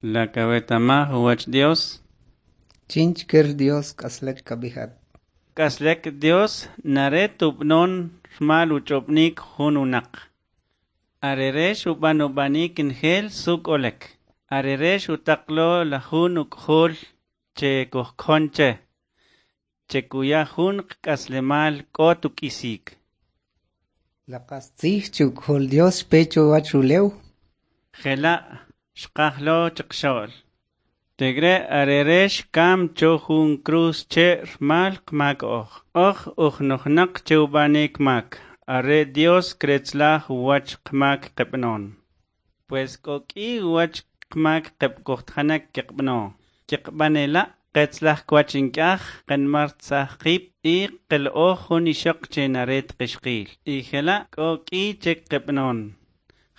La kawetamaj uwach Dios? Chinchker Dios k'aslek kab'ijat. K'aslek Dios nare tub'non rmal uch'ob'nik jun unaq. Arere xub'an ub'anik njel suk olek. Arere xutaqlo la jun uk'jol che kujkjon che. Che kuya jun qk'aslemal k'o tuk'isik. La qastzij che uk'jol Dios xpe chuwach ulew. Jela' xqaj lo chiqxo'l. Tegre arere xkam cho jun cruz che rmal qmak oj. Oj ujnojnaq che ub'anik mak. Are Dios kretzlaj uwach qmak qeb'non. Pues k'o k'i uwach qmak qeb'kojtjanek keqb'no. Keqb'anela' qetzlaj kwach ink'aj qenmar tzaj qib' y qel'oj jun ixoq che naret qixqil. Y jela' k'o k'i che qeb'non.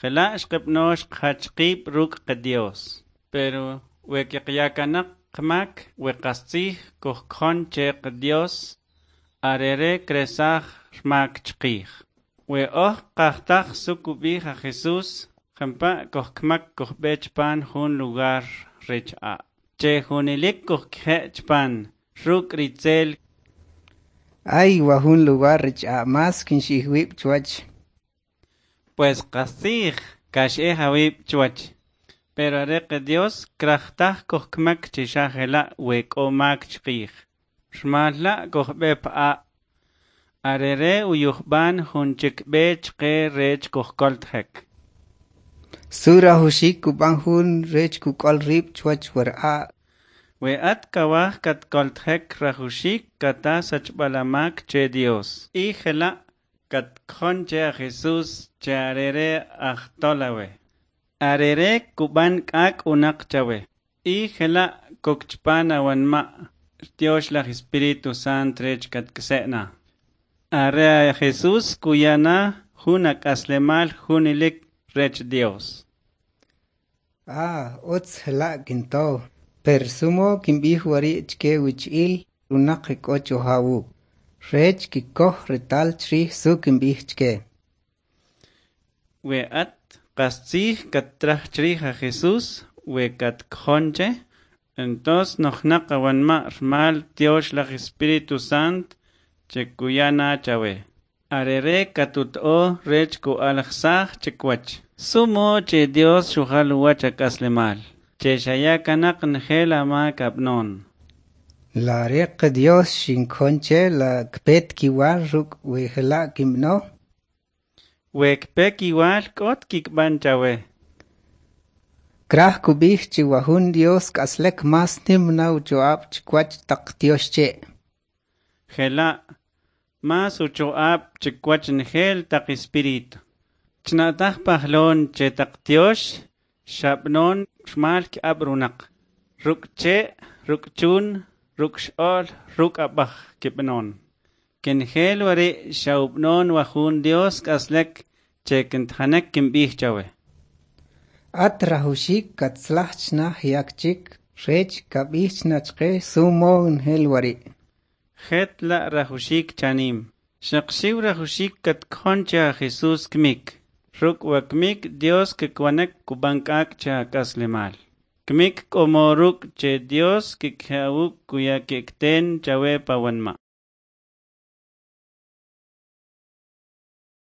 Jela' xqeb'no xqjach qib' ruk' Dios. Pero we keqyakanaq qmak we qastzij kujkjon che Dios arere kresaj rmak chqij. We oj qajtaj suk ub'ij a Jesús jampa' kujkmak kujb'e chpan jun lugar rech a'. Che junilik kujkje' chpan ruk' ritzel. Ay, wajun lugar rech a' mas kinxij wib' chuwach. Pues qastzij kax'ej awib' chuwach. Pero are Dios krajtaj kujkmak che xa jela' we k'o mak chqij. Rmal la' kujb'e p'a'. Arere uyujb'an jun chik b'e chqe rech kujkoltjek. Su rajuxik kub'an jun rech kuk'ol rib' chuwach war a'. We at kawaj katkoltjek rajuxik kata sachb'al amak che Dios. Y jela' katkjon che a Jesús che arere ajtolawe. Arere kub'an k'ak' unaq chawe. Y jela' kok chpan awanma' Tiox laj Espíritu Sant rech katk'se'na. Are a Jesús kuyana jun ak'aslemal junilik rech Dios. Ah, utz jela' kinto. Per sumo kinb'ij wari' chke wich'il unaq k'o choja wuk'. Rech kikkoj retal chrij su kinb'ij chke. We at qastzij kattraj chrij a Jesús we katkjon che, entonces nojnaq awanma' rmal Tiox laj Espíritu Sant che kuyana chawe. Arere katut'o rech ku'alajsaj chikwach. Sumo che Dios xujal uwach ak'aslemal. Che xaya kanaq njel amak ab'non. La are Dios xinkjon che la kpet kiwal ruk' we jela' kinb'ano. We kpe kiwal k'ot kikb'an chawe. Kraj kub'ij chi wajun Dios k'aslek mas nim na ucho'ab' chikwach taq tiox che'. Jela' mas ucho'ab' chikwach njel taq espíritu. Chna'taj pajlon che taq tiox xab'non rmal ki'ab' runaq. Ruk' che', ruk' chun, ruk' x'o'l, ruk' ab'aj kib'non. Kenjel wari' xa'ub'non wajun Dios k'aslek che kintjanek kinb'ij chawe. At rajuxik katzlaj chna yak chik rech kab'ij chna chqe sumo njel wari'. Jet la' rajuxik chanim. Xaq xiw rajuxik katkjon che a Jesús kmik. Ruk' wa kmik Dios kikwanek kub'an k'ak' che ak'aslemal. Kmik k'omo ruk' che Dios kikje'awuk kuya ki'kten chawe pawanma'.